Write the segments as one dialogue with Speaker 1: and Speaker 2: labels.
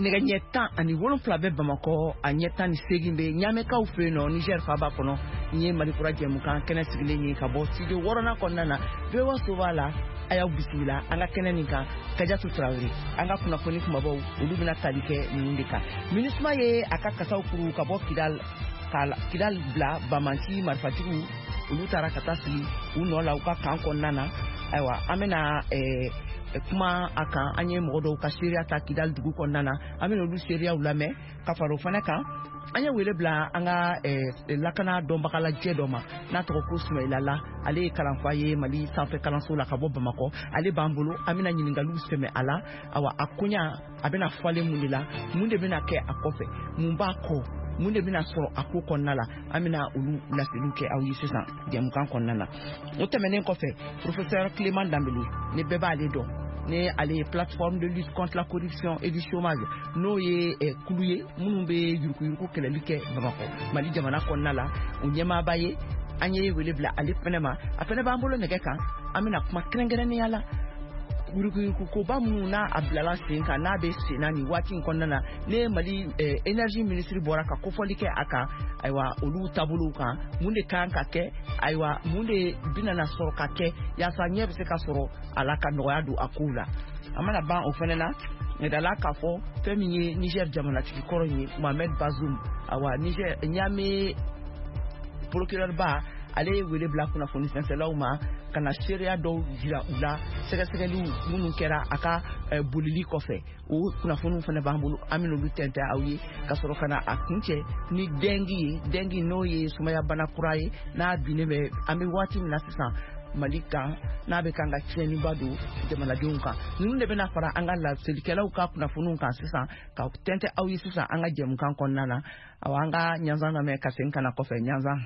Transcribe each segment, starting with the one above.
Speaker 1: Nɛgɛ ɲɛ 17 bɛ Bamakɔ, a ɲɛ 18 bɛ Ɲamɛkaw fɛ yen nɔ, Niger faaba kɔnɔ. Nin ye Malikura jɛmukan kɛnɛ sigilen ye ka bɔ studio 6nan kɔnɔna na. VOA soba la, a y'aw bisimila an ka kɛnɛ nin kan. Kajatu Tarawele, an ka kunnafoni kumabaw, olu bɛna tali kɛ ninnu de kan. MINUSMA ye a ka kasaw kuru ka bɔ Kidal, ka Kidal bila banbanci marifatigiw, olu taara ka taa sigi u nɔ la u ka kan kɔnɔna na. Ayiwa, an bɛna kuma a kan. An ye mɔgɔ dɔw ka seereya ta Kidal dugu kɔnɔna na, an bɛna olu seereyaw lamɛn. Ka fara o fana kan, an ye wele bila an ka lakana dɔnbagalajɛ dɔ ma n'a tɔgɔ ko Sumayila La. Ale ye kalanfa ye Mali sanfɛ kalanso la ka bɔ Bamakɔ. Ale b'an bolo, an bɛna ɲininkaliw sɛmɛ a la. Awa, a koɲa a bɛna falen mun de la, mun de bɛna kɛ a kɔfɛ, mun b'a kɔ, mun de bɛna sɔrɔ a ko kɔnɔna la, an bɛna olu laseliw kɛ aw ye sisan jɛmukan kɔnɔna na. O tɛmɛnen kɔfɛ, professeur Clément Dambélé, ne bɛɛ b'ale dɔn, ne ale ye plateforme de lutte contre la corruption et du chômage, n'o ye kulu ye minnu bɛ yuruguyurugu kɛlɛli kɛ Bamakɔ Mali jamana kɔnɔna la, o ɲɛmaaba ye. An ye wele bila ale fɛnɛ ma, a fɛnɛ b'an bolo nɛgɛ kan. An bɛna kuma kɛrɛnkɛrɛnnenya la yuruguyurugukoba minnu n'a a bilala sen kan, n'a bɛ sen na nin waati in kɔnɔna na, ne Mali énergie ministre bɔra ka kofɔli kɛ a kan. Ayiwa, olu taabolow kan, mun de kan ka kɛ, ayiwa, mun de bɛna na sɔrɔ ka kɛ yaasa ɲɛ bɛ se ka sɔrɔ a la ka nɔgɔya don a kow la. A mana ban o fɛnɛ na, yirala k'a fɔ fɛn min ye Niger jamanatigi kɔrɔ ye, Mohamed Bazoum. Awa, Niger Niamey procureur ba, ale ye wele bila kunnafoni sɛnsɛlaw ma ka na seereya dɔw jira u la, sɛgɛsɛgɛliw minnu kɛra a ka bolili kɔfɛ. O kunnafoniw fana b'an bolo, an bɛna olu tɛntɛn aw ye ka sɔrɔ ka na a kuncɛ ni dengue ye. Dengue, n'o ye sumayabana kura ye, n'a binnen bɛ an bɛ waati min na sisan Mali kan, n'a bɛ kan ka tiɲɛniba don jamanadenw kan. Ninnu de bɛna fara an ka laselikɛlaw ka kunnafoniw kan sisan ka tɛntɛn aw ye sisan an ka jɛmukan kɔnɔna na. Awa, an ka ɲanzan lamɛn ka segin ka na kɔfɛ. Ɲanzan.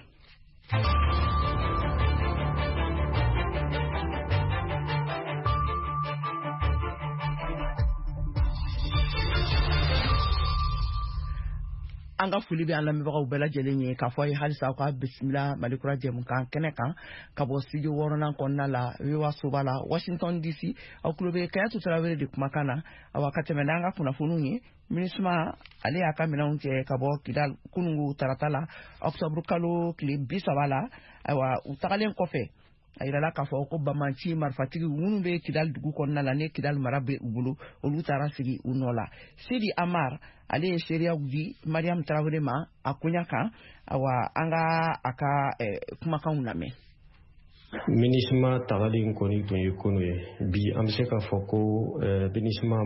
Speaker 1: An ka foli bɛ an lamɛnbagaw bɛɛ lajɛlen ye k'a fɔ a ye halisa aw ka bisimila Malikura jɛmukan kɛnɛ kan ka bɔ studio 6nan kɔnɔna la, VOA soba la, Washington DC. Aw tulo bɛ Kayatu Tarawele de kumakan na. Awa, ka tɛmɛ n'an ka kunnafoniw ye, MINUSMA ale y'a ka minɛnw cɛ ka bɔ Kidal kunungu tarata la, octobre kalo tile 30 la. Ayiwa, u tagalen kɔfɛ, a yirala k'a fɔ ko banbanci marifatigiw minnu bɛ Kidal dugu kɔnɔna la, ne Kidal mara bɛ u bolo, olu taara sigi u nɔ la. Sidi Amar, ale ye seereyaw di Mariam Tarawele ma a koɲa kan. Awa, an ka a ka kumakanw lamɛn.
Speaker 2: MINUSMA tagali in kɔni tun ye kunu ye. Bi an bɛ se k'a fɔ ko MINUSMA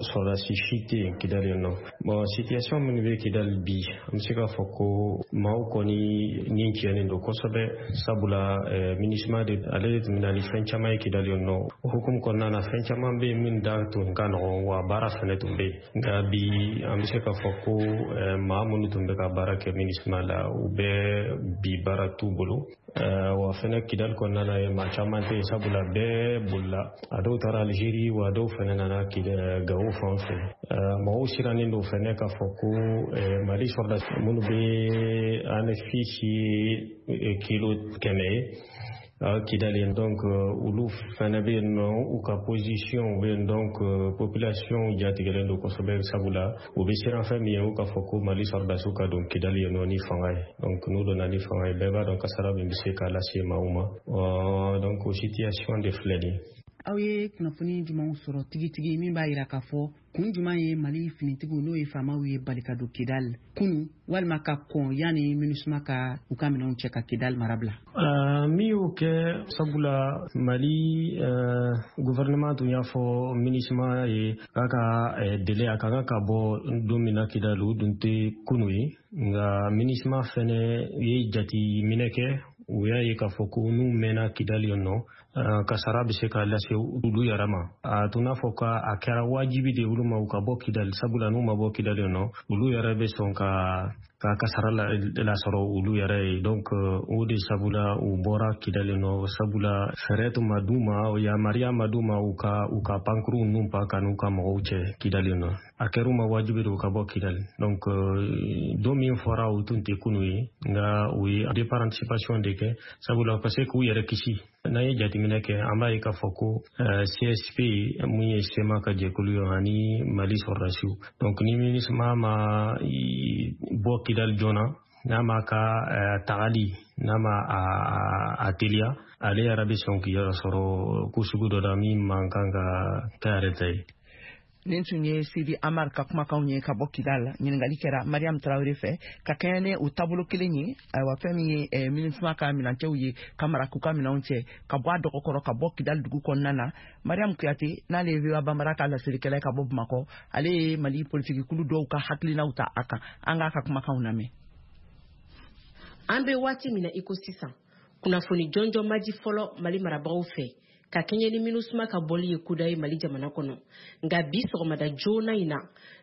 Speaker 2: sɔrɔdasi si tɛ yen Kidali yen nɔ. Bon, situation minnu bɛ Kidali bi, an bɛ se k'a fɔ ko maaw kɔni ni tiɲɛnen don kosɛbɛ, sabula MINUSMA de ale de tun bɛ na ni fɛn caman ye Kidali yen nɔ. O hukumu kɔnɔna na, fɛn caman bɛ yen min da tun ka nɔgɔn, wa baara fɛnɛ tun bɛ yen. Nka bi an bɛ se k'a fɔ ko maa minnu tun bɛ ka baara kɛ MINUSMA la, u bɛɛ bi baara t'u bolo. Wa fɛnɛ Kidali kɔnɔna na ye, maa caman tɛ yen, sabula bɛɛ bolila. A dɔw taara Algérie, wa dɔw fɛnɛ nana Gawo fan fɛ. Mɔgɔw sirannen don fɛnɛ k'a fɔ ko Mali sɔrɔdasi minnu bɛ Anefisi kilo 100 ye Kidali, donc olu fɛnɛ bɛ yen nɔ, u ka position bɛ yen. Donc population jatigɛlen don kosɛbɛ, sabula u bɛ siran fɛn min ye, u k'a fɔ ko Mali sɔrɔdasiw ka don Kidali yen nɔ ni fanga ye. Donc n'u donna ni fanga ye, bɛɛ b'a dɔn kasara min bɛ se k'a lase maaw ma. Donc o situation de filɛ nin ye.
Speaker 3: Aw ye kunnafoni jumɛnw sɔrɔ tigitigi min b'a yira k'a fɔ kun jumɛn ye Mali finitigiw, n'o ye faamaw ye, bali ka don Kidal kunu walima ka kɔn yanni MINUSMA ka u ka minɛnw cɛ ka Kidal mara bila?
Speaker 2: Min y'o kɛ, sabula Mali gouvernement tun y'a fɔ MINUSMA ye k'a ka délai a ka kan ka bɔ don min na Kidal, o dun tɛ kunu ye. Nka MINUSMA fɛnɛ ye jateminɛ kɛ, u y'a ye k'a fɔ ko n'u mɛnna Kidal yen nɔ, kasara bɛ se ka lase olu yɛrɛ ma. A tun n'a fɔ ka a kɛra wajibi de olu ma u ka bɔ Kidali, sabula n'u ma bɔ Kidali yen nɔ, olu yɛrɛ bɛ sɔn ka kasara lasɔrɔ olu yɛrɛ ye. Donc o de sabula u bɔra Kidali nɔ, sabula fɛɛrɛ tun ma d'u ma, yamaruya ma d'u ma u ka pankurun ninnu pan ka n'u ka mɔgɔw cɛ Kidali nɔ. A kɛra u ma wajibi de u ka bɔ Kidali. Donc don min fɔra, o tun tɛ kunu ye, nka u ye départ anticipation de kɛ, sabula ka se k'u yɛrɛ kisi. N'an ye jateminɛ kɛ, an b'a ye k'a fɔ ko CSP mun ye CMA ka jɛkulu ye ani Mali sɔrɔdasiw, donc ni MINUSMA ma bɔ Kidali joona, n'a ma ka tagali n'a ma a teliya, ale yɛrɛ bɛ sɔn k'i yɛrɛ sɔrɔ ko sugu dɔ la min man kan ka kɛ yɛrɛ ta ye.
Speaker 1: Nin tun ye Sidi Amar ka kumakanw ye ka bɔ Kidal. Ɲininkali kɛra Mariam Tarawele fɛ ka kɛɲɛ ni o taabolo kelen ye. Ayiwa, fɛn min ye MINUSMA ka minancɛw ye ka mara k'u ka minɛnw cɛ ka bɔ a dɔgɔkɔrɔ ka bɔ Kidal dugu kɔnɔna na, Mariam Kuyate, n'ale ye VOA Bambara ka laselikɛla ka bɔ Bamakɔ, ale ye Mali politikikulu dɔw ka hakilinaw ta a kan. An k'a ka kumakanw lamɛn.
Speaker 4: An bɛ waati min na i ko sisan, kunnafoni jɔnjɔn ma di fɔlɔ Mali marabagaw fɛ ka kɛɲɛ ni MINUSMA ka bɔli ye kuda ye Mali jamana kɔnɔ. Nka bi sɔgɔmada joona in na,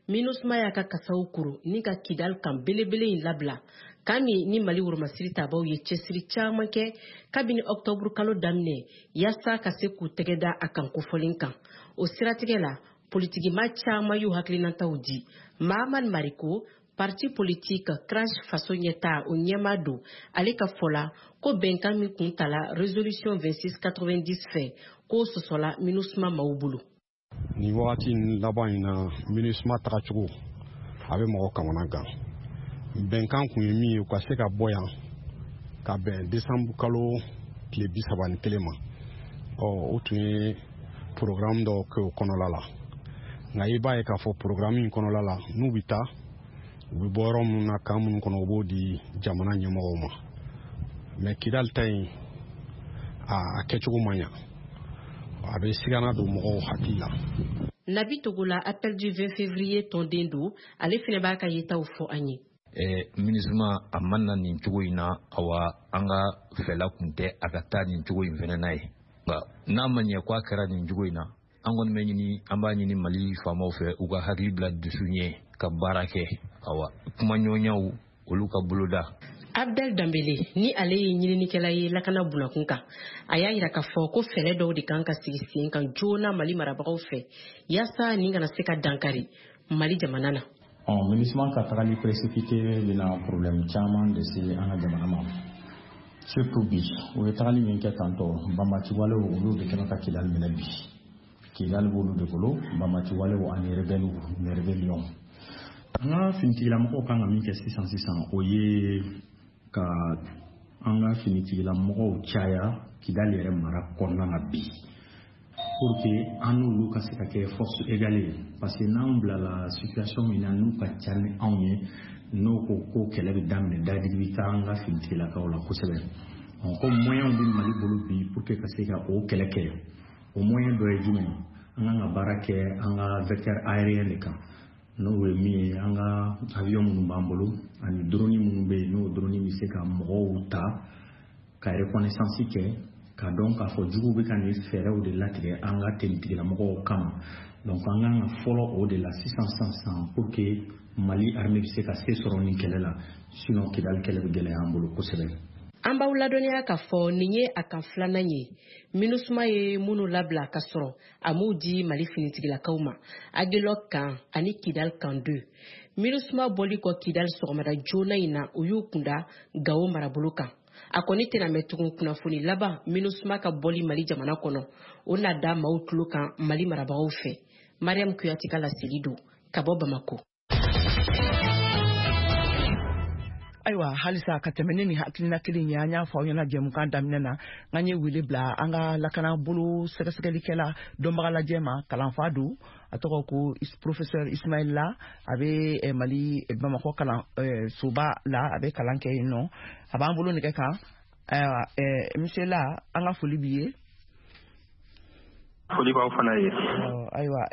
Speaker 4: MINUSMA y'a ka kasaw kuru ni ka Kidal kan belebele in labila, kan min ni Mali woromasiri tabaw ye cɛsiri caman kɛ kabini ɔktɔburu kalo daminɛ yaasa ka se k'u tɛgɛ da a kan kofɔlen kan. O siratigɛ la, politikima caman y'u hakilinataw di. Mahamad Mariko, parti politique CRAJ Faso Ɲɛta o ɲɛmaa don, ale ka fɔ la ko bɛnkan min kun tala résolution 2690 fɛ, k'o sɔsɔla MINUSMA maaw bolo.
Speaker 5: Nin wagati laban in na, MINUSMA tagacogo a bɛ mɔgɔ kamana gan. Bɛnkan kun ye min ye, u ka se ka bɔ yan ka bɛn desanburu kalo tile 31 ma. Ɔ, o tun ye programme dɔw kɛ o kɔnɔla la, nka i b'a ye k'a fɔ programme in kɔnɔla la, n'u bɛ taa, u bɛ bɔ yɔrɔ minnu na, kan minnu kɔnɔ, u b'o di jamana ɲɛmɔgɔw ma. Mɛ Kidali ta in, a kɛcogo man ɲa, a bɛ sigana don mɔgɔw hakili la.
Speaker 4: Nabi Togola, Appel du 20 février tɔnden don, ale fɛnɛ b'a ka yetaw fɔ an ye.
Speaker 6: MINUSMA a ma na nin cogo in na. Awa, an ka fɛla kun tɛ a ka taa nin cogo in fɛnɛ n'a ye, nka n'a ma ɲɛ ko a kɛra nin cogo in na, an kɔni bɛ ɲini, an b'a ɲini Mali faamaw fɛ, u ka hakili bila dusu ɲɛ ka baara kɛ. Awa, kumaɲɔgɔnyaw olu ka boloda.
Speaker 4: Abdel Dambele, ni ale ye ɲininikɛla ye lakana bunakun kan, a y'a yira k'a fɔ ko fɛɛrɛ dɔw de kan ka sigi sen kan joona Mali marabagaw fɛ yaasa nin kana se ka dankari Mali jamana na.
Speaker 7: MINUSMA ka tagali précipité bɛna problème caman de se an ka jamana ma, surtout bi. U ye tagali min kɛ tantɔ, banbaci walew olu de kɛmɛ ka Kidali minɛ bi. Kidali b'olu de bolo, banbaci walew ani rebelle ni rébellion. An ka finitigilamɔgɔw kan ka min kɛ sisan sisan, o ye ka an ka finitigilamɔgɔw caya Kidali yɛrɛ mara kɔnɔna na bi, pour que an n'olu ka se ka kɛ force égale ye, parce que n'anw bilala situation min na, n'u ka ca ni anw ye, n'o ko ko kɛlɛ bɛ daminɛ, dadigi bɛ taa an ka finitigilakaw la kosɛbɛ. Ko moyens bɛ Mali bolo bi pour que ka se ka o kɛlɛ kɛ. O moyen dɔ ye jumɛn ye? An kan ka baara kɛ an ka vecteur aérien de kan, n'o ye min ye an ka avion minnu b'an bolo ani drone minnu bɛ yen, n'o drone bɛ se ka mɔgɔw ta ka reconnaissance kɛ, k'a dɔn k'a fɔ juguw bɛ ka nin fɛɛrɛw de latigɛ an ka tenitigilamɔgɔw kama. Donc an kan ka fɔlɔ o de la sisan sisan sisan pour que Mali armée bɛ se ka se sɔrɔ nin kɛlɛ la, sinon Kidali kɛlɛ bɛ gɛlɛya an bolo kosɛbɛ.
Speaker 4: An b'aw ladɔnniya k'a fɔ nin ye a kan filanan ye MINUSMA ye minnu labila ka sɔrɔ a m'u di Mali finitigilakaw ma, Aguelhok kan ani Kidal kan 2. MINUSMA bɔli kɔ Kidal sɔgɔmada joona in na, u y'u kunda Gawo marabolo kan. A kɔni tɛna mɛn tugun, kunnafoni laban MINUSMA ka bɔli Mali jamana kɔnɔ, o na da maaw tulo kan Mali marabagaw fɛ. Mariam Kuyate ka laseli don ka bɔ Bamako.
Speaker 1: Ayiwa, halisa ka tɛmɛ ne ni hakilina kelen ye, an y'a fɔ aw ɲɛna jɛmukan daminɛ na, n'an ye wele bila an ka lakana bolo sɛgɛsɛgɛlikɛla dɔnbagalajɛ ma, kalanfa don, a tɔgɔ ko professeur Ismaël La. A bɛ Mali Bamakɔ kalan soba la, a bɛ kalan kɛ yen nɔ. A b'an bolo nɛgɛ kan. Ayiwa, monsieur La, an ka foli b'i ye.
Speaker 8: Foli b'aw fana ye.
Speaker 1: Ayiwa,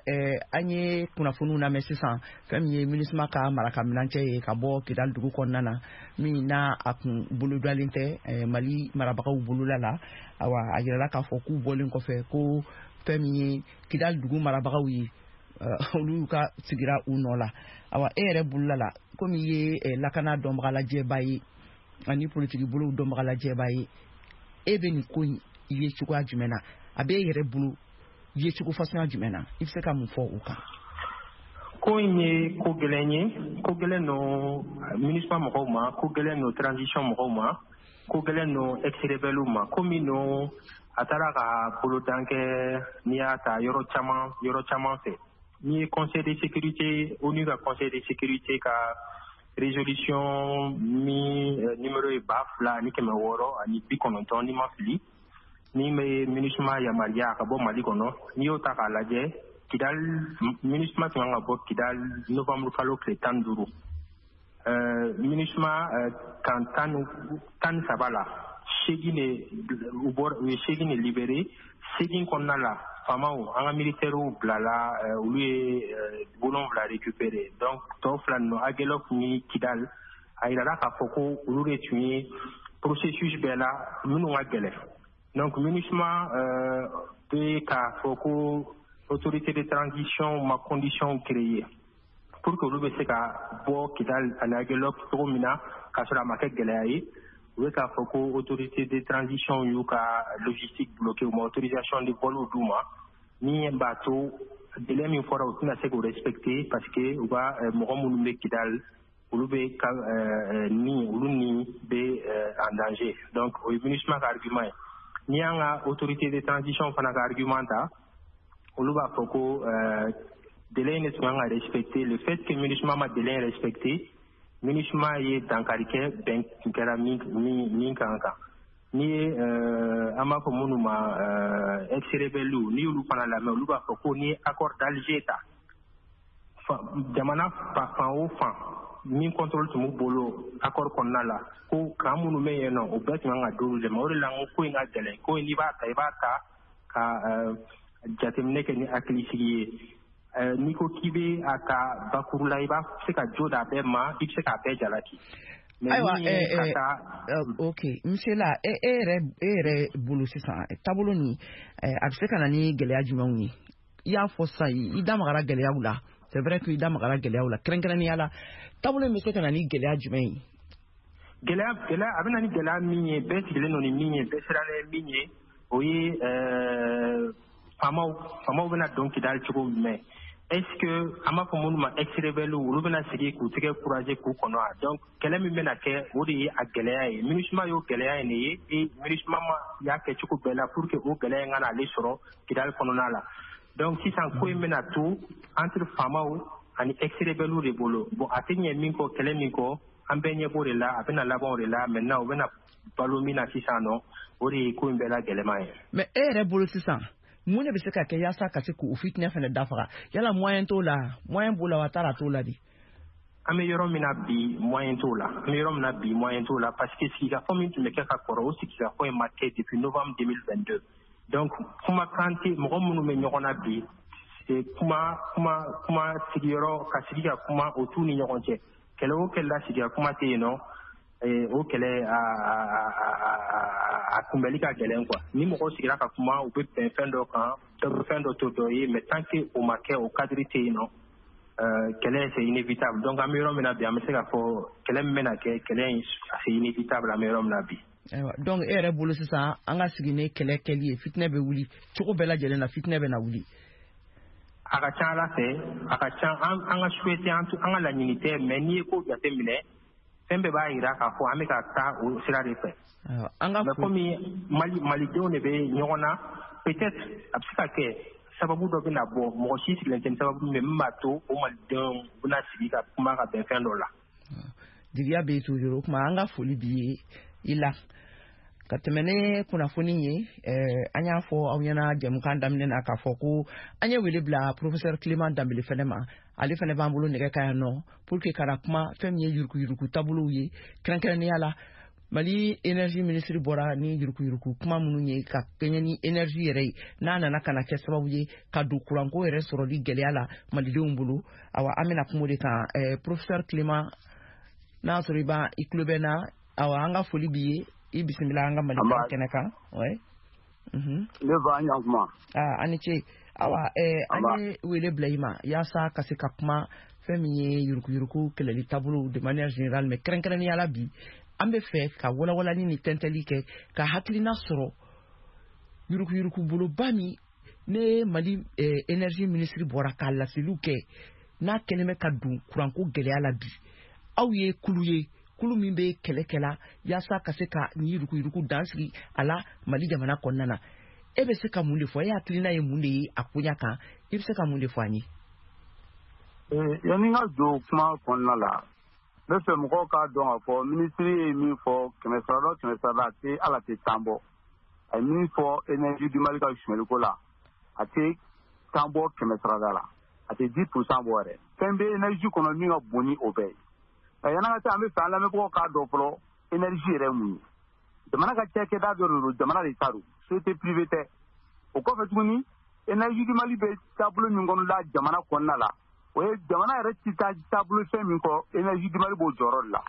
Speaker 1: an ye kunnafoniw lamɛn sisan, fɛn min ye MINUSMA ka marakaminancɛ ye ka bɔ Kidali dugu kɔnɔna na, min n'a a kun bolodalen tɛ Mali marabagaw bolola la. Awa, a yirala k'a fɔ k'u bɔlen kɔfɛ, ko fɛn min ye Kidali dugu marabagaw ye, olu ka sigira u nɔ la. Awa, e yɛrɛ bolola la, komi i ye lakana dɔnbagalajɛba ye ani politiki bolow dɔnbagalajɛba ye, e bɛ nin ko in ye cogoya jumɛn na? A bɛ e yɛrɛ bolo ye cogo fasuguya jumɛn na? I bɛ se ka mun fɔ o kan?
Speaker 8: Ko in ye ko gɛlɛn ye, ko gɛlɛn no MINUSMA mɔgɔw ma, ko gɛlɛn no transition mɔgɔw ma, ko gɛlɛn no ex-rebelle ma, ko min no A taara ka bolodan kɛ, n'i y'a ta yɔrɔ caman fɛ. N'i ye Conseil de sécurité, ONU ka Conseil de sécurité ka résolution min numéro ye 2690, n'i ma fili, ni bɛ MINUSMA yamaruya ka bɔ Mali kɔnɔ, n'i y'o ta k'a lajɛ, Kidal, MINUSMA tun kan ka bɔ Kidal novembre kalo tile 15. MINUSMA kan 13 la, 8 de u bɔra, u ye 8 de libéré. 8 kɔnɔna la, faamaw, an ka militaires bilala, olu ye 7 récupéré. Donc tɔ 2 ninnu, Aguelhok ni Kidal, a yirala k'a fɔ ko olu de tun ye processus bɛɛ la minnu ka gɛlɛn. Donc MINUSMA bɛ k'a fɔ ko autorité de transition ma condition créée pour que olu bɛ se ka bɔ Kidal ani Aguelhok cogo min na k'a sɔrɔ a ma kɛ gɛlɛya ye. U bɛ k'a fɔ ko autorité de transition y'u ka logistique bloqué, u ma autorisation de vol d'u ma, min b'a to délai min fɔra u tɛna se k'o respecter, parce que u ka mɔgɔ minnu bɛ Kidal, olu bɛ ka ni olu ni bɛ en danger. Donc o ye MINUSMA ka argument ye. N'i y'an ka autorité de transition fana ka argument ta, olu b'a fɔ ko délai in de tun kan ka respecter. Le fait que MINUSMA ma délai in respecter, MINUSMA ye dankari kɛ bɛn tun kɛra min kan. N'i ye an b'a fɔ minnu ma ex-rebelles, n'i y'olu fana lamɛn, olu b'a fɔ ko n'i ye accord d'Alger ta, jamana fan o fan min contrôle tun b'u bolo accord kɔnɔna la, ko kan minnu bɛ yen nɔ, o bɛɛ tun kan ka d'olu de ma. O de la n ko ko in ka gɛlɛn. Ko in n'i b'a ta, i b'a ta ka jateminɛ kɛ ni hakilisigi ye. N'i ko k'i bɛ a ta bakuru la, i b'a se ka jo d'a bɛɛ ma, i bɛ se k'a bɛɛ jalaki.
Speaker 1: Ayiwa, ok, monsieur la, e yɛrɛ bolo sisan, taabolo nin a bɛ se ka na ni gɛlɛya jumɛnw ye? I y'a fɔ sisan, i da magara gɛlɛyaw la. C'est vrai que i da magara gɛlɛyaw la, kɛrɛnkɛrɛnnenya la, taabolo in bɛ se ka na ni gɛlɛya jumɛn ye?
Speaker 8: Gɛlɛya, a bɛ na ni gɛlɛya min ye, bɛɛ sigilen don ni min ye, bɛɛ siranna ye min ye, o ye faamaw bɛna don Kidal cogo jumɛn? Est-ce que an b'a fɔ minnu ma ex-rebelles, olu bɛna sigi k'u tɛgɛ couragé k'u kɔnɔ wa? Donc kɛlɛ min bɛna kɛ, o de ye a gɛlɛya ye. MINUSMA y'o gɛlɛya in de ye, et MINUSMA ma y'a kɛ cogo bɛɛ la pour que o gɛlɛya in ka n'ale sɔrɔ Kidal kɔnɔna la. Donc sisan ko in bɛna to entre faamaw ani ex-rebelles de bolo. Bon, a tɛ ɲɛ min kɔ, kɛlɛ min kɔ, an bɛɛ ɲɛ b'o de la, a bɛna laban o de la. Maintenant u bɛna balo min na sisan nɔ, o de ye ko in bɛɛ la gɛlɛman ye.
Speaker 1: Mais e yɛrɛ bolo sisan, mun de bɛ se ka kɛ yaasa ka se k'o fitinɛ fana dafaga? Yala moyen t'o la, moyen b'o la wa taara t'o la de?
Speaker 8: An bɛ yɔrɔ min na bi, moyen t'o la. An bɛ yɔrɔ min na bi, moyen t'o la, parce que sigikafɔ min tun bɛ kɛ ka kɔrɔ, o sigikafɔ in ma kɛ depuis novembre 2022. Donc kumakan tɛ mɔgɔ minnu bɛ ɲɔgɔn na bi, kuma kuma sigiyɔrɔ ka sigi ka kuma o t'u ni ɲɔgɔn cɛ. Kɛlɛ o kɛlɛ la, sigi ka kuma tɛ yen nɔ, o kɛlɛ a kunbɛli ka gɛlɛn quoi. Ni mɔgɔw sigira ka kuma, u bɛ bɛn fɛn dɔ kan, dɔ bɛ fɛn dɔ to dɔ ye, mais tant que o ma kɛ, o cadre tɛ yen nɔ, kɛlɛ c'est inévitable. Donc an bɛ yɔrɔ min na bi, an bɛ se k'a fɔ kɛlɛ min bɛna kɛ, kɛlɛ in c'est inévitable an bɛ yɔrɔ min na bi.
Speaker 1: Ayiwa, donc e yɛrɛ bolo sisan, an ka sigi ni kɛlɛ kɛli ye, fitinɛ bɛ wuli cogo bɛɛ lajɛlen na, fitinɛ bɛ na wuli.
Speaker 8: A ka ca Ala fɛ, a ka ca an ka souhaiter, an ka laɲini tɛ, mais n'i ye ko jateminɛ, fɛn bɛɛ b'a yira k'a fɔ an bɛ ka taa o sira de fɛ. Mais komi Malidenw de bɛ ɲɔgɔn na, peut-être a bɛ se ka kɛ sababu dɔ bɛna bɔ, mɔgɔ si sigilen tɛ ni sababu min b'a to o Malidenw bɛna sigi ka kuma ka bɛn fɛn dɔ la.
Speaker 1: Jigiya bɛ yen toujours. O tuma an ka foli b'i ye i la. Ka tɛmɛ ni kunnafoni ye, an y'a fɔ aw ɲɛna jɛmukan daminɛ na k'a fɔ ko an ye wele bila professeur Clément Dembélé fɛnɛ ma. Ale fɛnɛ b'an bolo nɛgɛ kan yan nɔ pour que ka na kuma fɛn min ye yuruguyurugu taabolow ye, kɛrɛnkɛrɛnnenya la Mali énergie ministre bɔra ni yuruguyurugu kuma minnu ye ka kɛɲɛ ni énergie yɛrɛ ye, n'a nana ka na kɛ sababu ye ka don kuranko yɛrɛ sɔrɔli gɛlɛya la malidenw bolo. Awa, an bɛna kuma o de kan. Professeur Clément, n'a y'a sɔrɔ i b'a i tulo bɛ na, awa an ka foli b'i ye, i bisimila an ka Mali kɛnɛ kan. Ouais.
Speaker 9: Ne ba, an kuma.
Speaker 1: Ah, ani ce. Awa, an ye wele bila i ma yaasa ka se ka kuma fɛn min ye yuruguyurugu kɛlɛli taabolo de manière générale, mais kɛrɛnkɛrɛnnenya la bi an bɛ fɛ ka walawalali ni tɛntɛli kɛ ka hakilina sɔrɔ yuruguyurugu boloba min ne Mali énergie ministre bɔra k'a laseliw kɛ, n'a kɛlen bɛ ka don kuranko gɛlɛya la bi. Aw ye kulu ye, kulu min bɛ kɛlɛ kɛla yaasa ka se ka nin yuruguyurugu dan sigi a la Mali jamana kɔnɔna na. E bɛ se ka mun de fɔ? E hakilina ye mun de ye a koɲa kan? I bɛ se ka mun de fɔ an ye?
Speaker 9: Yanni n ka don kuma kɔnɔna la, n bɛ fɛ mɔgɔw k'a dɔn k'a fɔ minisiri ye min fɔ 100 100 a tɛ ala tɛ 10 bɔ. A ye min fɔ Énergie du Mali ka sonyɛliko la, a tɛ 10 bɔ 100 la, a tɛ 10% bɔ yɛrɛ. Fɛn bɛ énergie kɔnɔ min ka bon ni o bɛɛ ye. Nka yanni an ka taa, an bɛ fɛ an lamɛnbagaw k'a dɔn fɔlɔ énergie yɛrɛ ye mun ye. Jamana ka cakɛda dɔ de don, jamana de ta don, société privée tɛ. O kɔfɛ tuguni, Énergie du Mali bɛ taabolo min kɔnɔ la jamana kɔnɔna la, o ye jamana yɛrɛ ti taa taabolo fɛn min kɔ, Énergie du Mali b'o jɔyɔrɔ de la.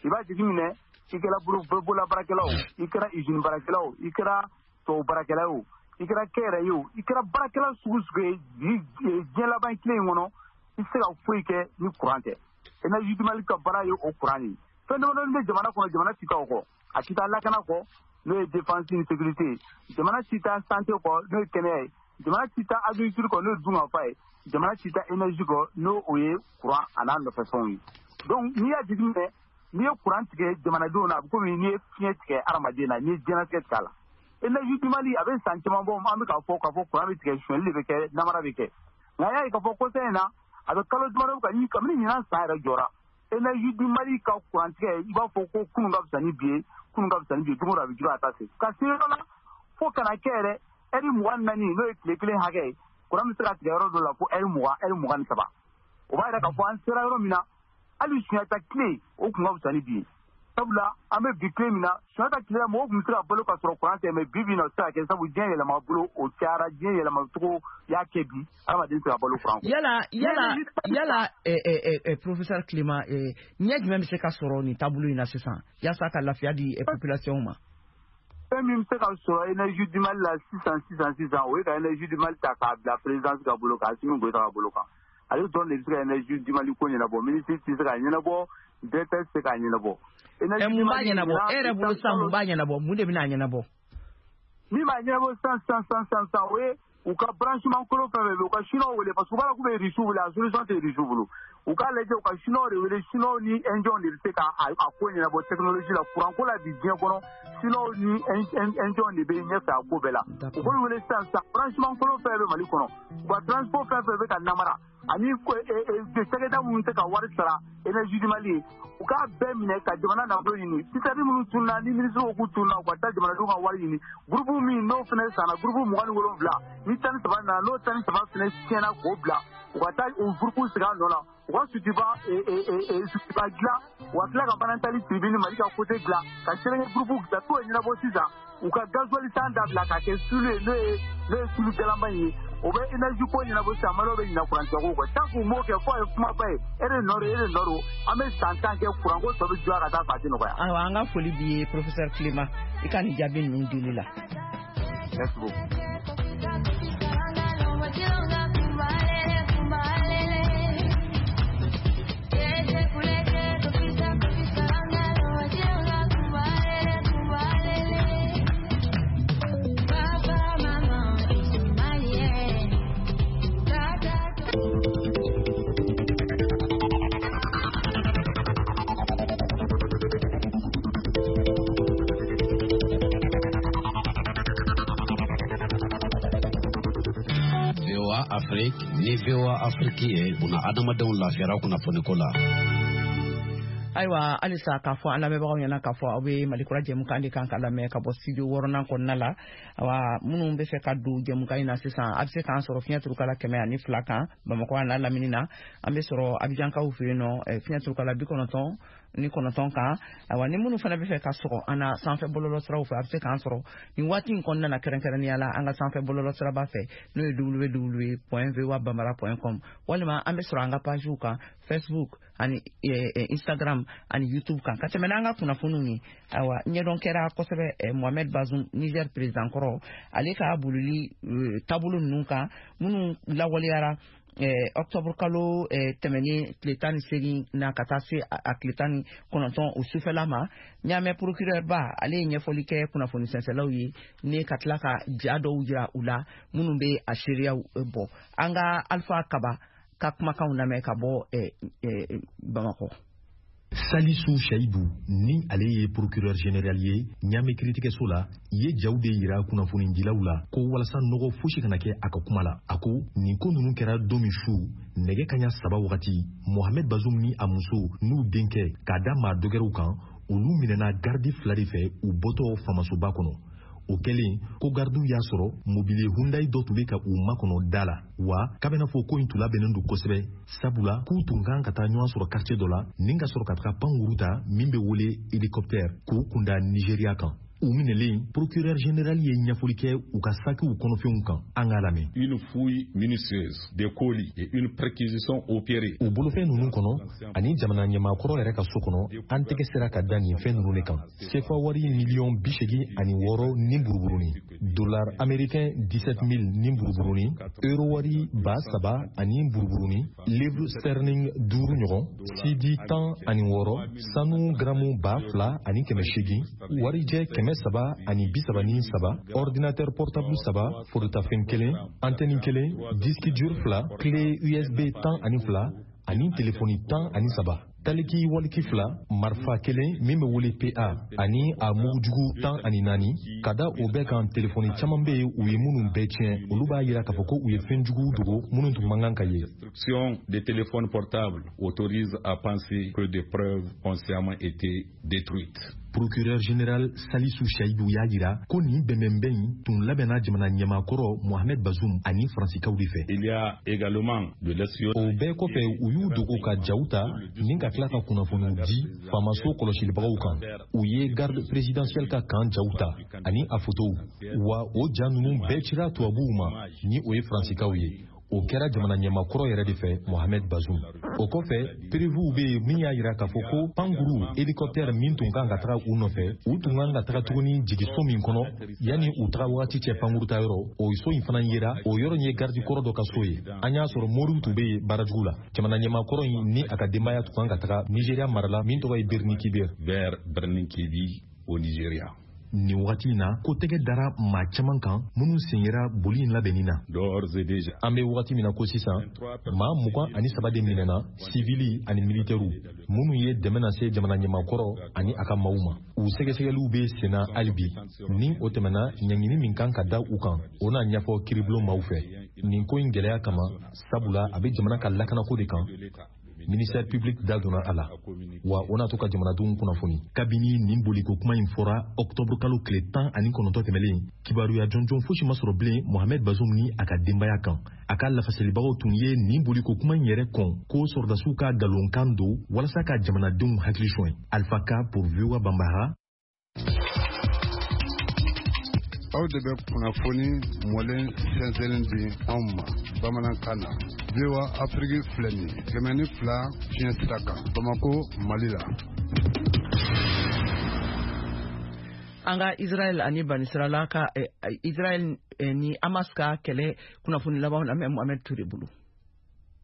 Speaker 9: I b'a jateminɛ, i kɛra bolola baarakɛla o, i kɛra usine baarakɛla o, i kɛra tubabu baarakɛla o, i kɛra kɛnyɛrɛye o, i kɛra baarakɛla sugu sugu ye diɲɛ laban tile in kɔnɔ, i tɛ se ka foyi kɛ ni courant tɛ. Énergie du Mali ka baara ye o courant ye. Fɛn damadɔni bɛ jamana kɔnɔ, jamana ti taa o kɔ. A ti taa lakana kɔ, n'o ye défense ni sécurité ye. Jamana ti taa santé kɔ, n'o ye kɛnɛya ye. Jamana ti taa agriculture kɔ, n'o ye dunkafa ye. Jamana ti taa énergie kɔ, n'o o ye courant a n'a nɔfɛfɛnw ye. Donc n'i y'a jateminɛ, n'i ye courant tigɛ jamanadenw na, a bɛ komi n'i ye fiɲɛ tigɛ hadamaden na, n'i ye diɲɛlatigɛ tigɛ a la. Énergie du Mali a bɛ san caman bɔ, an bɛ k'a fɔ k'a fɔ courant bɛ tigɛ, sonyɛli de bɛ kɛ, namara bɛ kɛ. Nka a y'a ye k'a fɔ kɔsa in na, a bɛ kalo damadɔ ka kabini ɲinan san yɛrɛ jɔra, Énergie du Mali ka courant tigɛ, i b'a fɔ ko kunun ka fisa ni bi ye, kunun ka fisa ni bi ye, don o don a bɛ juguya ka taa se. Ka se yɔrɔ la fo kana kɛ yɛrɛ ɛri 24, n'o ye tile kelen hakɛ ye, courant bɛ se ka tigɛ yɔrɔ dɔ la fo ɛri 20, ɛri 23. O b'a yira k'a fɔ an sera yɔrɔ min na, hali Sunjata tile o kun ka fisa ni bi ye. Sabula an bɛ bi tile min na, Sunjata tile la mɔgɔw tun bɛ se ka balo ka sɔrɔ courant tɛ, mais bi bi in na o tɛ se ka kɛ, sabu diɲɛ yɛlɛma bolo o cayara, diɲɛ yɛlɛma cogo y'a kɛ bi hadamaden tɛ se ka balo courant kɔ.
Speaker 1: Yala professeur Clément, ɲɛ jumɛn bɛ se ka sɔrɔ nin taabolo in na sisan yaasa ka lafiya di population ma?
Speaker 9: Fɛn min bɛ se ka sɔrɔ Énergie du Mali la sisan sisan sisan, o ye ka Énergie du Mali ta k'a bila présidence ka bolo kan, Assimi Goïta ka bolo kan. Ale dɔrɔn de bɛ se ka Énergie du Mali ko ɲɛnabɔ, ministre tɛ se k'a ɲɛnabɔ, directeur tɛ se k'a ɲɛnabɔ.
Speaker 1: Mun b'a ɲɛnabɔ? E yɛrɛ bolo sisan, mun b'a ɲɛnabɔ? Mun de bɛna a ɲɛnabɔ?
Speaker 9: Min b'a ɲɛnabɔ sisan sisan sisan sisan, o ye u ka branchement kolon fɛn fɛn bɛ, u ka chinois wele, parce que u b'a dɔn k'u bɛ Russiw wele, a solution tɛ Russiw bolo. U k'a lajɛ, u ka chinois de wele, chinois ni indiens de bɛ se ka a ko ɲɛnabɔ technologie la, courant ko la bi diɲɛ kɔnɔ, chinois ni indiens de bɛ ɲɛfɛ a ko bɛɛ la. U k'olu wele sisan sisan, branchement kolon fɛn bɛ Mali kɔnɔ, u ka transport fɛn fɛn bɛ ka namara, ani cakɛda minnu tɛ ka wari sara Énergie du Mali ye, u k'a bɛɛ minɛ ka jamana nafolo ɲini. Citerne minnu tununa, ni ministre ko k'u tununa, u ka taa jamanadenw ka wari ɲini. Groupe min n'o fana sanna, groupe 27, ni 13 nana, n'o 13 fana tiɲɛna k'o bila, u ka taa o groupe sigi a nɔ la, u ka Sotuba dilan, u ka tila ka Manantali tribune Mali ka côté dilan, ka Sɛnɛkɛ groupe dilan, t'o ɲɛnabɔ sisan. U ka gasoil san dabila k'a kɛ sulu ye, n'o ye sulu galama ye, o bɛ énergie ko ɲɛnabɔ sisan, Maliyɛnw bɛ ɲinɛ courant tigɛko kɔ. Tant k'u m'o kɛ, fɔ a ye kumaba ye, e de nɔ don, e de nɔ don, an bɛ san 10 kɛ courant ko tɔ bɛ juguya ka taa fɛ, a tɛ nɔgɔya.
Speaker 1: Ayiwa, an ka foli b'i ye professeur Clément, i ka nin jaabi ninnu dili la.
Speaker 9: Merci beaucoup.
Speaker 10: Afrique ni VOA Afrique ye buna adamadenw lafiyara kunnafoniko la.
Speaker 1: Ayiwa, halisa k'a fɔ an lamɛnbagaw ɲɛna k'a fɔ aw bɛ Mali kura jɛmukan de kan ka lamɛn ka bɔ studio 6nan kɔnɔna la. Awa, minnu bɛ fɛ ka don jɛmukan in na sisan, a bɛ se k'an sɔrɔ fiɲɛ turukala 102 kan Bamakɔ a n'a lamini na. An bɛ sɔrɔ Abijankaw fɛ yen nɔ, fiɲɛ turukala 99 kan. Ayiwa, ni minnu fana bɛ fɛ ka sɔgɔ an na sanfɛ bɔlɔlɔsiraw fɛ, a bɛ se k'an sɔrɔ nin waati in kɔnɔna na kɛrɛnkɛrɛnnenya la an ka sanfɛ bɔlɔlɔsiraba fɛ, n'o ye www.voabambara.com, walima an bɛ sɔrɔ an ka pagew kan Facebook ani Instagram ani YouTube kan. Ka tɛmɛ n'an ka kunnafoniw ye, ayiwa, ɲɛdɔn kɛra kosɛbɛ Mohamed Bazoum, Niger président kɔrɔ, ale ka bolili taabolo ninnu kan minnu lawaleyara octobre kalo tɛmɛnen tile 18 na ka taa se a tile 19 o sufɛla ma. Ɲaamɛ procureur ba, ale ye ɲɛfɔli kɛ kunnafoni sɛnsɛlaw ye ne ka tila ka ja dɔw jira u la minnu bɛ a seereyaw bɔ. An ka Alpha Kaba ka kumakanw lamɛn ka bɔ Bamakɔ.
Speaker 11: Salisu Shayibu, ni ale ye procureur général ye Ɲame kiritigɛso la, ye jaw de yira kunnafonidilaw la ko walasa nɔgɔ fosi kana kɛ a ka kuma la. A ko nin ko ninnu kɛra don min su nɛgɛ kaɲa 3 wagati, Mohamed Bazoum ni a muso n'u denkɛ k'a da maa dɔgɛrɛw kan, olu minɛna garidi 2 de fɛ u bɔtɔ famasoba kɔnɔ. O kɛlen ko gardiw y'a sɔrɔ mobili Hyundai dɔ tun bɛ ka u makɔnɔ da la, wa k'a bɛna fɔ ko in tun labɛnnen don kosɛbɛ, sabula k'u tun kan ka taa ɲɔgɔn sɔrɔ quartier dɔ la ni ka sɔrɔ ka taga pankuru ta min bɛ wele hélicoptère k'u kunda Nigeria kan. U minɛlen, procureur général ye ɲɛfɔli kɛ u ka sakiw kɔnɔfɛnw kan. An k'a lamɛn.
Speaker 12: Une fouille minutieuse des colis et une perquisition opérée.
Speaker 11: U bolofɛn ninnu kɔnɔ ani jamana ɲɛmaakɔrɔ yɛrɛ ka so kɔnɔ, an tɛgɛ sera ka da nin fɛn ninnu de kan: sefa wari miliyɔn 86 ni buruburuni, dollar américain 17 000 ni buruburuni, euro wari 3000 ani buruburuni, livre sterling 5 ɲɔgɔn, cd 16, sanu garamu 2800, warijɛ 333, ordinateur portable 3, forotafɛn 1, antenne 1, disque dur 2, clé USB 12 ani telefɔni 13, taliki waliki 2, marifa 1 min bɛ wele PA ani a mugujugu 14. Ka da o bɛɛ kan, telefɔni caman bɛ yen u ye minnu bɛɛ tiɲɛ, olu b'a yira k'a fɔ ko u ye fɛn juguw dogo minnu tun man kan ka ye.
Speaker 12: Destruction des téléphones portables autorise à penser que des preuves ont sciemment été détruites.
Speaker 11: Procureur général Salisu Shayibu y'a jira ko nin bɛnbɛnbɛn in tun labɛnna jamana ɲɛmaakɔrɔ Mohamed Bazoum ani Faransikaw de fɛ.
Speaker 12: Il y a également de l'espionnage.
Speaker 11: O bɛɛ kɔfɛ, u y'u dogo ka jaw ta ni ka tila ka kunnafoniw di faamaso kɔlɔsilibagaw kan. U ye garde présidentielle ka kan jaw ta ani a fotow, wa o ja ninnu bɛɛ cira tubabuw ma, ni o ye Faransikaw ye. O kɛra jamana ɲɛmaakɔrɔ yɛrɛ de fɛ, Mohamed Bazoum. O kɔfɛ, preuvew bɛ yen min y'a jira k'a fɔ ko pankuru hélicoptère min tun kan ka taga u nɔfɛ, u tun kan ka taga tuguni jigiso min kɔnɔ yanni u taga wagati cɛ pankuru ta yɔrɔ, o so in fana yera. O yɔrɔ in ye garidi kɔrɔ dɔ ka so ye. An y'a sɔrɔ moriw tun bɛ yen baarajugu la. Jamana ɲɛmaakɔrɔ in ni a ka denbaya tun kan ka taga Nigeria mara la min tɔgɔ ye Birni Kebbi.
Speaker 12: Vers Birni Kebbi au Nigeria.
Speaker 11: Nin wagati in na, ko tɛgɛ dara maa caman kan minnu sen yera boli in labɛnni na. An bɛ wagati min na ko sisan, maa 23 de minɛna, sivili ani militɛriw, minnu ye dɛmɛ lase jamana ɲɛmaakɔrɔ ani a ka maaw ma. U sɛgɛsɛgɛliw bɛ senna hali bi. Ni o tɛmɛna, ɲangini min kan ka da u kan, o na ɲɛfɔ kiiribulon maaw fɛ. Nin ko in gɛlɛya kama, sabula a bɛ jamana ka lakanako de kan, ministère public da donna a la, wa o n'a to ka jamanadenw kunnafoni. Kabini nin boliko kuma in fɔra octobre kalo tile 19 tɛmɛlen, kibaruya jɔnjɔn fosi ma sɔrɔ bilen Mohamed Bazoum ni a ka denbaya kan. A ka lafasalibagaw tun ye nin boliko kuma in yɛrɛ kɔn ko sɔrɔdasiw ka nkalonkan don walasa ka jamanadenw hakili sɔn. Alpha Ka pour VOA Bambara.
Speaker 13: Aw de bɛ kunnafoni mɔlen sɛnsɛnlen di anw ma bamanankan na. VOA Afrique filɛ nin ye 102 fiɲɛ sira kan, Bamako, Mali la.
Speaker 1: An ka Israël ani Banisirala ka Israël ni Hamas ka kɛlɛ kunnafoni labanw lamɛn Mohamed Touré bolo.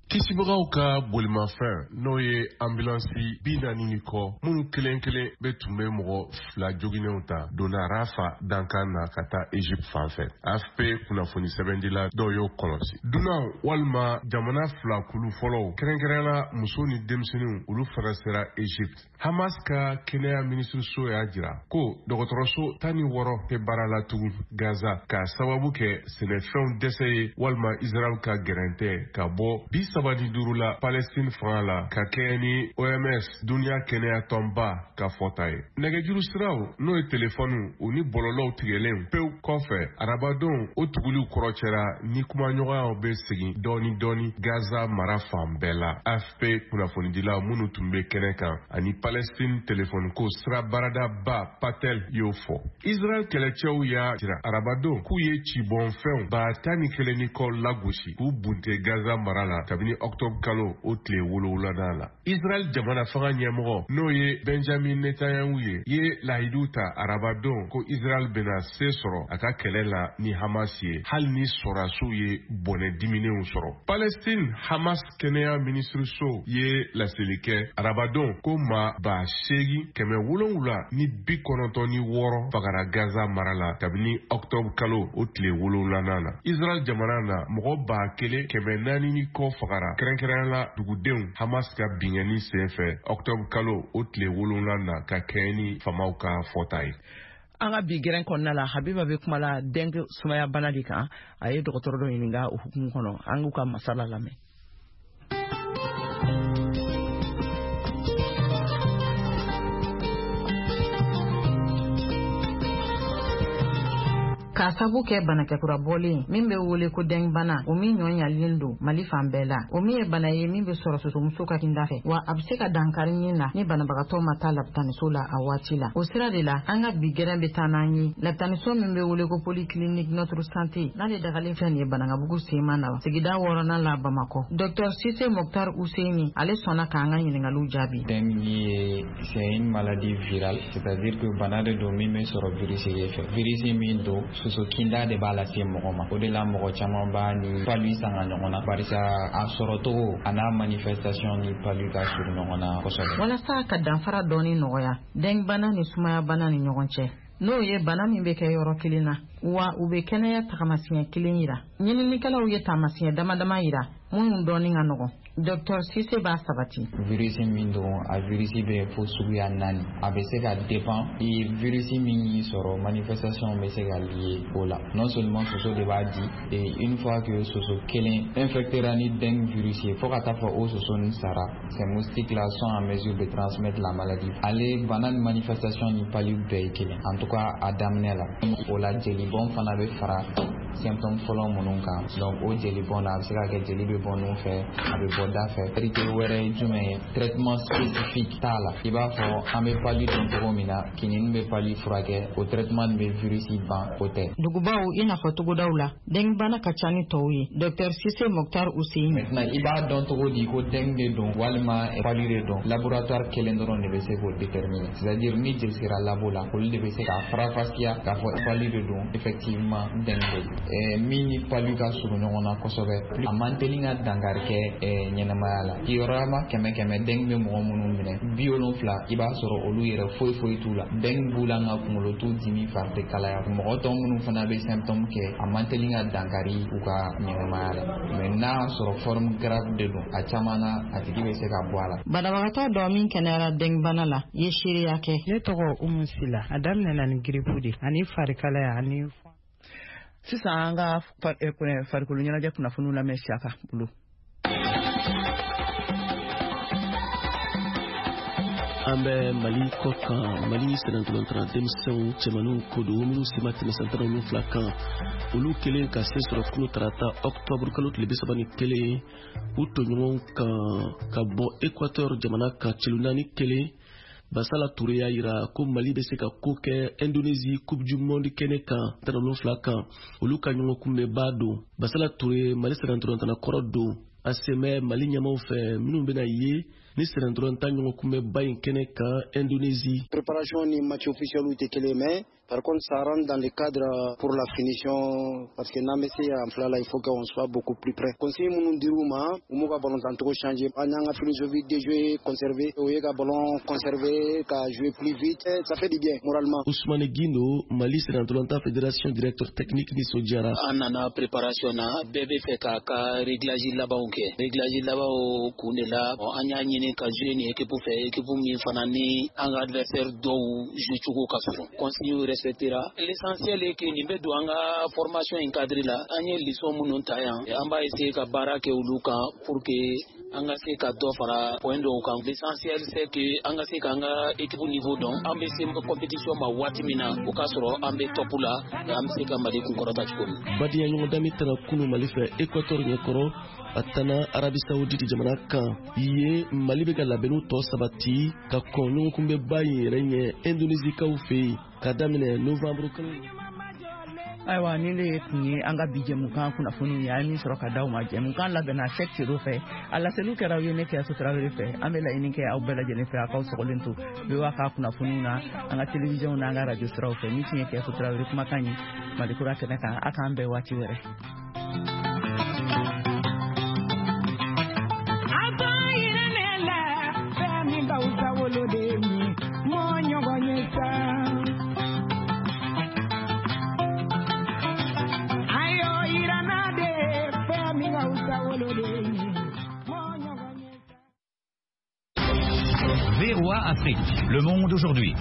Speaker 14: Kisibagaw ka bolimafɛn, n'o ye ambulance 40 ni kɔ, minnu kelen kelen bɛ tun bɛ mɔgɔ 2 joginenw ta, donna Rafa dankan na ka taa Egypte fan fɛ. AFP kunnafoni sɛbɛndila dɔw y'o kɔlɔsi. Dunan walima jamana 2 kulu fɔlɔw, kɛrɛnkɛrɛnnenya muso ni denmisɛnninw, olu fana sera Egypte. Hamas ka kɛnɛya minisiriso y'a jira ko dɔgɔtɔrɔso 16 tɛ baara la tugun Gaza, k'a sababu kɛ sɛnɛfɛnw dɛsɛ ye walima Israël ka gɛrɛntɛ ka bɔ 35 la Palestine fanga la, ka kɛɲɛ ni OMS, duniya kɛnɛya tɔnba ka fɔta ye. Nɛgɛjuru siraw, n'o ye telefɔniw, u ni bɔlɔlɔw tigɛlen pewu kɔfɛ arabadon, o tuguliw kɔrɔcɛra ni kumaɲɔgɔnyaw bɛ segin dɔɔni dɔɔni Gaza mara fan bɛɛ la. AFP kunnafonidilaw minnu tun bɛ kɛnɛ kan ani Palestine telefɔniko sira baaradaba Patel y'o fɔ. Israël kɛlɛcɛw y'a jira arabadon k'u ye cibɔnfɛnw 11,000 ni kɔ lagosi k'u bunte Gaza mara la kabini octobre kalo o tile 7nan la. Israël jamana fanga ɲɛmɔgɔ, n'o ye Benjamin Netanyahu ye lahidu ta arabadon ko Israël bɛna se sɔrɔ a ka kɛlɛ la ni Hamas ye, hali ni sɔrɔdasiw ye bɔnɛ diminenw sɔrɔ. Palestine Hamas kɛnɛya minisiriso ye laseli kɛ arabadon ko maa 8796 fagara Gaza mara la kabini octobre kalo o tile 7nan na. Israël jamana na, mɔgɔ 1400 ni kɔ fagara. fagara, kɛrɛnkɛrɛnnenya la dugudenw, Hamas ka binkanni senfɛ octobre kalo o tile 7 na, ka kɛɲɛ ni faamaw ka fɔta ye.
Speaker 1: An ka bi gɛrɛn kɔnɔna la, Habiba bɛ kuma la dengue sumaya bana de kan. A ye dɔgɔtɔrɔ dɔ ɲininka o hukumu kɔnɔ. An k'u ka masala lamɛn.
Speaker 15: K'a sabu kɛ banakɛkura bɔlen min bɛ wele ko dengue bana, o min ɲɔ ɲalen don Mali fan bɛɛ la, o min ye bana ye min bɛ sɔrɔ sosomuso ka kinda fɛ, wa a bɛ se ka dankari ɲin na ni banabagatɔ ma taa lapitaniso la a waati la. O sira de la, an ka bi gɛrɛn bɛ taa n'an ye lapitaniso min bɛ wele ko polyclinique Notre Santé, n'ale dagalen fɛn nin ye Banankabugu sema na, sigida 6nan la, Bamakɔ. Docteur Sise Mokhtar Husseini, ale sɔnna k'an ka ɲininkaliw jaabi.
Speaker 16: Dengue ye, c'est une maladie virale, c'est-à-dire que bana de don min bɛ sɔrɔ virus de fɛ. Virus min don, soso kinda de b'a lase mɔgɔ ma. O de la mɔgɔ caman b'a ni palu sanga ɲɔgɔn na, barisa a sɔrɔcogo a n'a manifestation ni palu ka surun ɲɔgɔn na kosɛbɛ.
Speaker 15: Walasa ka danfara dɔɔni nɔgɔya dengue bana ni sumaya bana ni ɲɔgɔn cɛ, n'o ye bana min bɛ kɛ yɔrɔ kelen na, wa u bɛ kɛnɛya tagamasiɲɛ kelen yira, ɲininikɛlaw ye taamasiɲɛ dama dama yira minnu dɔɔni ka nɔgɔn. Docteur Sise b'a sabati.
Speaker 16: Virus min don, a virus bɛ fo suguya 4. A bɛ se ka dépend i virus min y'i sɔrɔ, manifestation bɛ se ka lié o la. Non seulement soso de b'a di, et une fois que soso kelen infectera ni dengue virus ye, fo ka taa fɔ o soso nin sara, ces moustiques là sont en mesure de transmettre la maladie. Ale bana ni manifestation ni palu bɛɛ ye kelen, en tout cas a daminɛ la. O la jelibɔn fana bɛ fara symptôme fɔlɔ minnu kan. Donc o jelibɔn na, a bɛ se ka kɛ jeli bɛ bɔ nun fɛ, a bɛ bɔ da fɛ. Vérité wɛrɛ ye jumɛn ye? Traitement spécifique t'a la. I b'a fɔ an bɛ palu dɔn cogo min na, kinini bɛ palu furakɛ, o traitement nin bɛ virus ban, o tɛ.
Speaker 15: Dugubaw i n'a fɔ togodaw la, dengue bana ka ca ni tɔw ye. Docteur Sise Mokhtar Husseini.
Speaker 16: Maintenant i b'a dɔn cogo di ko dengue de don walima palu de don? Laboratoire kelen dɔrɔn de bɛ se k'o déterminer, c'est-à-dire ni jeli sera labo la, olu de bɛ se k'a faranfasiya k'a fɔ palu de don, effectivement dengue de don. Min ni palu ka surun ɲɔgɔn na kosɛbɛ, a man teli ka dankari kɛ ɲɛnamaya la. Kibaruya 100 dengue bɛ mɔgɔ minnu minɛ, 70 i b'a sɔrɔ olu yɛrɛ foyi foyi t'u la. Dengue b'u la, nka kunkolo t'u dimi, fari tɛ kalaya. Mɔgɔ tɔ minnu fana bɛ symptôme kɛ, a man teli ka dankari u ka ɲɛnamaya la. Mais n'a y'a sɔrɔ forme grave de don, a caman na a tigi bɛ se ka bɔ a la.
Speaker 15: Banabagatɔ dɔ min kɛnɛyara dengue bana la ye seereya kɛ.
Speaker 17: Ne tɔgɔ Umu Sila. A daminɛna ni grippe de ani farikalaya ani.
Speaker 1: Sisan an ka farikolo ɲɛnajɛ kunnafoniw lamɛn Siyaka bolo.
Speaker 18: An bɛ Mali kɔ kan. Mali sɛnɛntɔlɔntana denmisɛnw cɛmaninw ko don minnu si ma tɛmɛ san 17 kan, olu kelen ka se sɔrɔ kunu tarata octobre kalo tile 31 u tɔɲɔgɔnw kan ka bɔ Équateur jamana kan celu 4-1. Basala Touré y'a yira ko Mali bɛ se ka ko kɛ Indonésie Coupe du Monde kɛnɛ kan 17 kan, olu ka ɲɔgɔn kunbɛnba don. Basala Touré, Mali sɛnɛntɔlɔntana kɔrɔ don, a sen bɛ Mali ɲɛmaw fɛ minnu bɛna ye ni sɛnɛntɔlɔntan ɲɔgɔn kunbɛnba in kɛnɛ kan Indonésie.
Speaker 19: Préparation ni match officiel tɛ kelen, mais par contre ça rentre dans le cadre pour la finition, parce que n'an bɛ se en fila la, il faut qu'on soit beaucoup plus près. Consigne minnu dir'u ma, u m'u ka ballon tancogo changer. An y'an ka philosophie de jeu conserver, o ye ka ballon conserver, ka jouer plus vite, ça fait du bien moralement.
Speaker 18: Ousmane Guindo, Mali sɛnɛntɔlɔntan fédération directeur technique, nisɔndiyara.
Speaker 20: An nana préparation na, bɛɛ bɛ fɛ k'a ka réglage labanw kɛ. Réglage labanw kun de la, an y'a ɲini ka jouer ni équipe fɛ, équipe min fana ni an ka adversaire dɔw jouer cogo ka surun. Consigne respectera. L'essentiel est que nin bɛ don an ka formation in cadre la. An ye leçon minnu ta yan, an b'a essayer ka baara kɛ olu kan pour que an ka se ka dɔ fara point dɔw kan. L'essentiel c'est que an ka se k'an ka équipe niveau dɔn. An bɛ se compétition ma waati min na, o k'a sɔrɔ an bɛ top la, an bɛ se ka Mali kunkɔrɔta cogo min.
Speaker 18: Badenya ɲɔgɔndan min tɛna kunu Mali fɛ Équateur ɲɛkɔrɔ, a tana Arabie Saoudite jamana kan ye. Mali bɛ ka labɛnniw tɔ sabati ka kɔn ɲɔgɔn kunbɛnba in yɛrɛ ɲɛ Indonésikaw fɛ yen ka daminɛ novembre kalo.
Speaker 1: Ayiwa, nin de tun ye an ka bi jɛmukan kunnafoniw ye, an ye min sɔrɔ ka d'aw ma. Jɛmukan labɛnna Cheick Cero fɛ, a laseliw kɛra aw ye ne Kɛyaso Tarawele fɛ. An bɛ laɲini kɛ aw bɛɛ lajɛlen fɛ, a k'aw sɔgɔlen to VOA ka kunnafoniw na, an ka télévision n'an ka radio siraw fɛ. Min tun ye Kɛyaso Tarawele kumakan ye Malikura kɛnɛ kan. A k'an bɛn waati wɛrɛ.
Speaker 21: Afrique, Le Monde aujourd'hui.